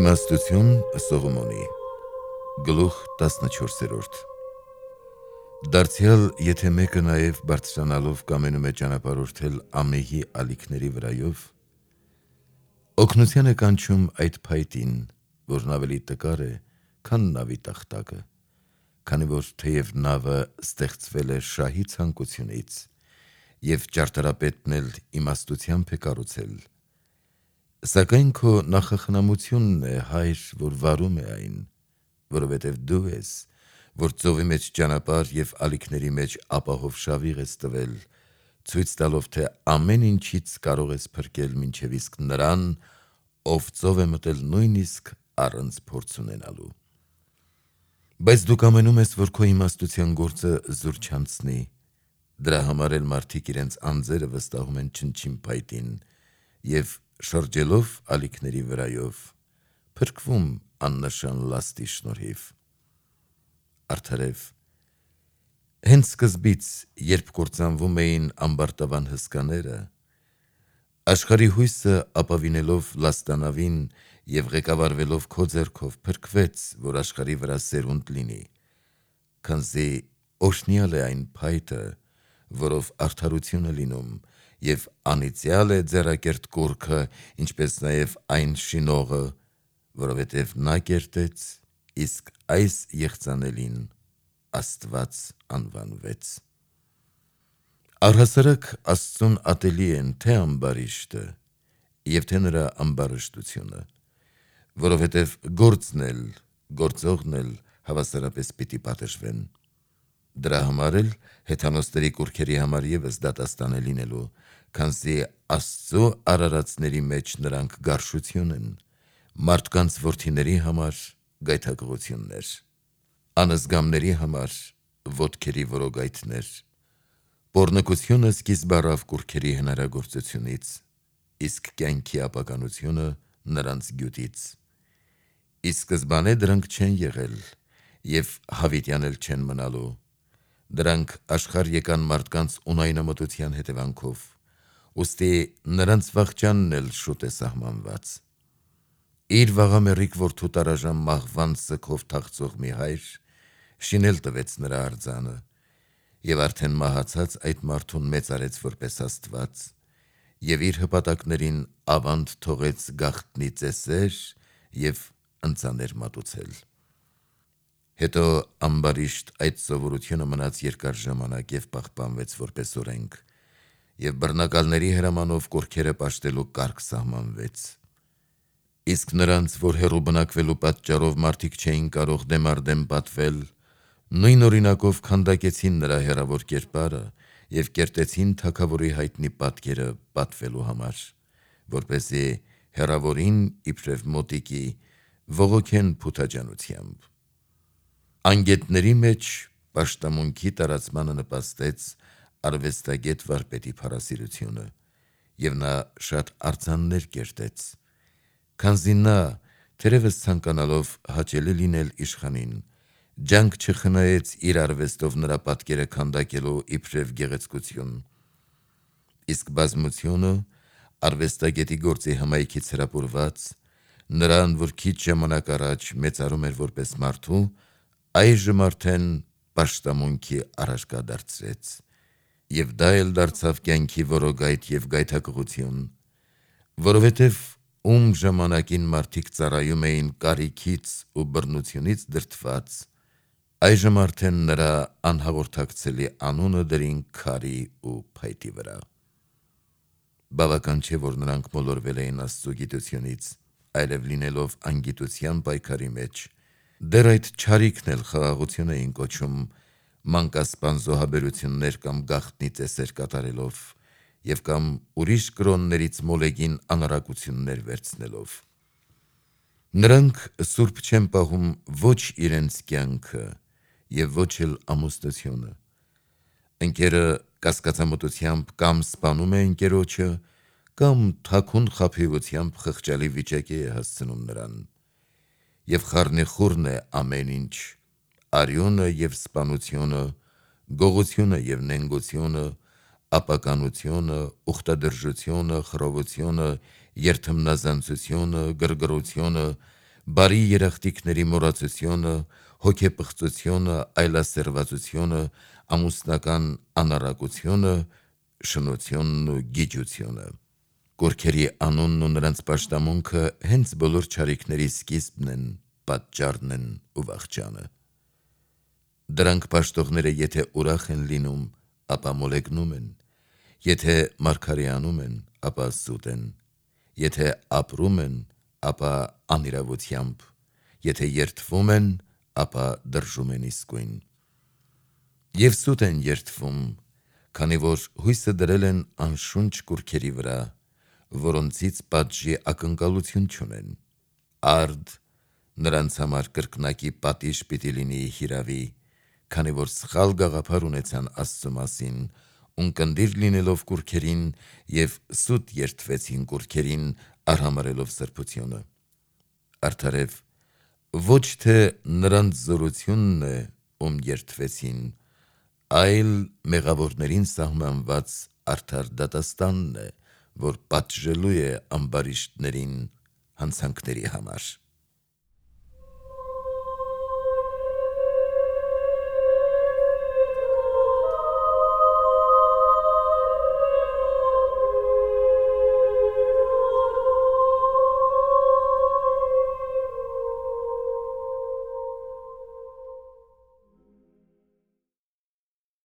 Իմաստություն Սողոմոնի Գլուխ 14-րդ Դարձյալ եթե մեկը նաև բարձրանալով կամենում է ճանապարհորդել ամեհի ալիքների վրայով, օգնության է կանչում այդ փայտին, որն ավելի տկար է, քան նավի տախտակը, քանի որ թեև նավը ստեղծվել է շահի ցանկությունից, և ճարտարապետն էլ իմաստությամբ է կառուցել, սակայն քո նախախնամությունն է, հայր, որ վարում է այն, որովհետև դու ես, որ ծովի մեջ ճանապարհ և ալիքների մեջ ապահով շավիղ ես տվել, ցույց տալով, թե ամեն ինչից կարող ես փրկել մինչև իսկ նրան, ով ծով է մտել նույնիսկ առանց փորձ ունենալու: Բայց դու կամենում ես, որ քո իմաստության գործը զուր չանցնի, դրա համար էլ մարդիկ իրենց անձերը վստահում են չնչին փայտին և շրջելով ալիքների վրայով, փրկվում աննշան լաստի շնորհիվ: Արդարև, հենց սկզբից, երբ կործանվում էին ամբարտավան հսկաները, աշխարհի հույսը ապավինելով լաստանավին և ղեկավարվելով քո ձեռքով փրկվեց, որ աշխարհի վրա սերունդ լինի, քանզի օրհնյալ է այն փայտը, որով արդարություն է լինում, և անիծյալ է ձեռակերտ կուռքը, ինչպես նաև այն շինողը, որովհետև նա կերտեց, իսկ այս եղծանելին Աստված անվանվեց: Առհասարակ Աստծուն ատելի են թե ամբարիշտը և թե նրա ամբարշտությունը, որովհետև գործն էլ, գործողն էլ հավասարապես պիտի պատժվեն: Դրա համար էլ հեթանոսների կուռքերի համար ևս դատաստան է լինելու, քանզի Աստծու արարածների մեջ նրանք գարշություն են, մարդկանց որդիների համար գայթակղություններ, անզգամների համար ոտքերի որոգայթներ: Պոռնկությունը սկիզբ առավ կուռքերի հնարագործությունից, իսկ կյանքի ապականությունը նրանց գյուտից: Ի սկզբանե դրանք չեն եղել և հավիտյան էլ չեն մնալու, դրանք աշխարհ եկան մարդկանց ունայնամտության հետևանքով, ուստի նրանց վախճանն էլ շուտ է սահմանված: Իր վաղամեռիկ որդու տարաժան մահվան սգով թախծող մի հայր շինել տվեց նրա արձանը և արդեն մահացած այդ մարդուն մեծարեց որպես Աստված և իր հպատակներին ավանդ թողեց գաղտնի ծեսեր և ընծաներ մատուցել: Հետո ամբարիշտ այդ սովորությունը մնաց երկար ժամանակ և պահպանվեց որպես օրենք, և բռնակալների հրամանով կուռքերը պաշտելու կարգ սահմանվեց: Իսկ նրանց, որ հեռու բնակվելու պատճառով մարդիկ չէին կարող դեմ առ դեմ պատվել, նույն օրինակով քանդակեցին նրա հեռավոր կերպարը և կերտեցին թագավորի հայտնի պատկերը պատվելու համար, որպեսզի հեռավորին իբրև մոտիկի բողոքեն փութաջանությամբ: Անգետների մեջ պաշտամունքի տարածմանը նպաստեց արվեստագետ վարպետի փառասիրությունը և նա շատ արձաններ կերտեց, քանզի նա, թերևս ցանկանալով հաճելի լինել իշխանին, ջանք չխնայեց իր արվեստով նրա պատկերը քանդակելու իբրև գեղեցկություն: Իսկ բազմությունը, արվեստագետի գործի հմայքից հրապուրված, նրան, որ քիչ ժամանակ առաջ մեծարում էր որպես մարդու, այժմ արդեն պաշտամունքի առարկա դարձրեց: Եվ դա էլ դարձավ կյանքի որոգայթ և գայթակղություն, որովհետև ում ժամանակին մարդիկ ծառայում էին կարիքից ու բռնությունից դրդված, այժմ արդեն նրա անհաղորդակցելի անունը դրին քարի ու փայտի վրա: Բավական չէ, որ նրանք մոլորվել էին Աստծու գիտությունից, այլև լինելով անգիտության պայքարի մեջ, դեռ այդ չարիքն էլ խաղաղություն էին կոչում մանկասպան զոհաբերություններ կամ գաղտնի ծեսեր կատարելով և կամ ուրիշ կրոններից մոլեգին անառակություններ վերցնելով: Նրանք սուրբ չեն պահում ոչ իրենց կյանքը և ոչ էլ ամուսնությունը: Ընկերը կասկածամտությամբ կամ սպանում է ընկերոջը, կամ թաքուն խաբեությամբ խղճալի վիճակի է հասցնում նրան: Եվ խառնիխուռն է ամեն ինչ, արյունը և սպանությունը, գողությունը և նենգությունը, ապականությունը, ուխտադրժությունը, խռովությունը, երդմնազանցությունը, գրգռությունը, բարի երախտիկների մոռացությունը, հոգեպղծությունը, այլասերվածությունը, ամուսնական անառակությունը, շնությունն ու գիջությունը։ Կուռքերի անունն ու նրանց պաշտամունքը հենց բոլոր չարիքների սկիզբն են, պատճառն են ու վախճանը։ Դրանք պաշտողները եթե ուրախ են լինում, ապա մոլեգնում են, եթե մարգարեանում են, ապա սուտ են, եթե ապրում են, ապա անիրավությամբ, եթե երդվում են, ապա դրժում են իսկույն։ Եվ սուտ են երդվում, քանի որ հույսը դրել են անշունչ կուռքերի վրա, որոնցից պատժի ակնկալություն չունեն։ Արդ նրանց համար կրկնակի պատիժ պիտի լինի հիրավի, քանի որ սխալ գաղափար ունեցան Աստծու մասին, ունկնդիր լինելով կուռքերին և սուտ երդվեցին կուռքերին, արհամարհելով սրբությունը։ Արդարև ոչ թե նրանց զորությունն է, ում երդվեցին, այլ մեղավորներին սահմանված արդար դատաստանն է, որ պատժելու է ամբարիշտներին հանցանքների համար։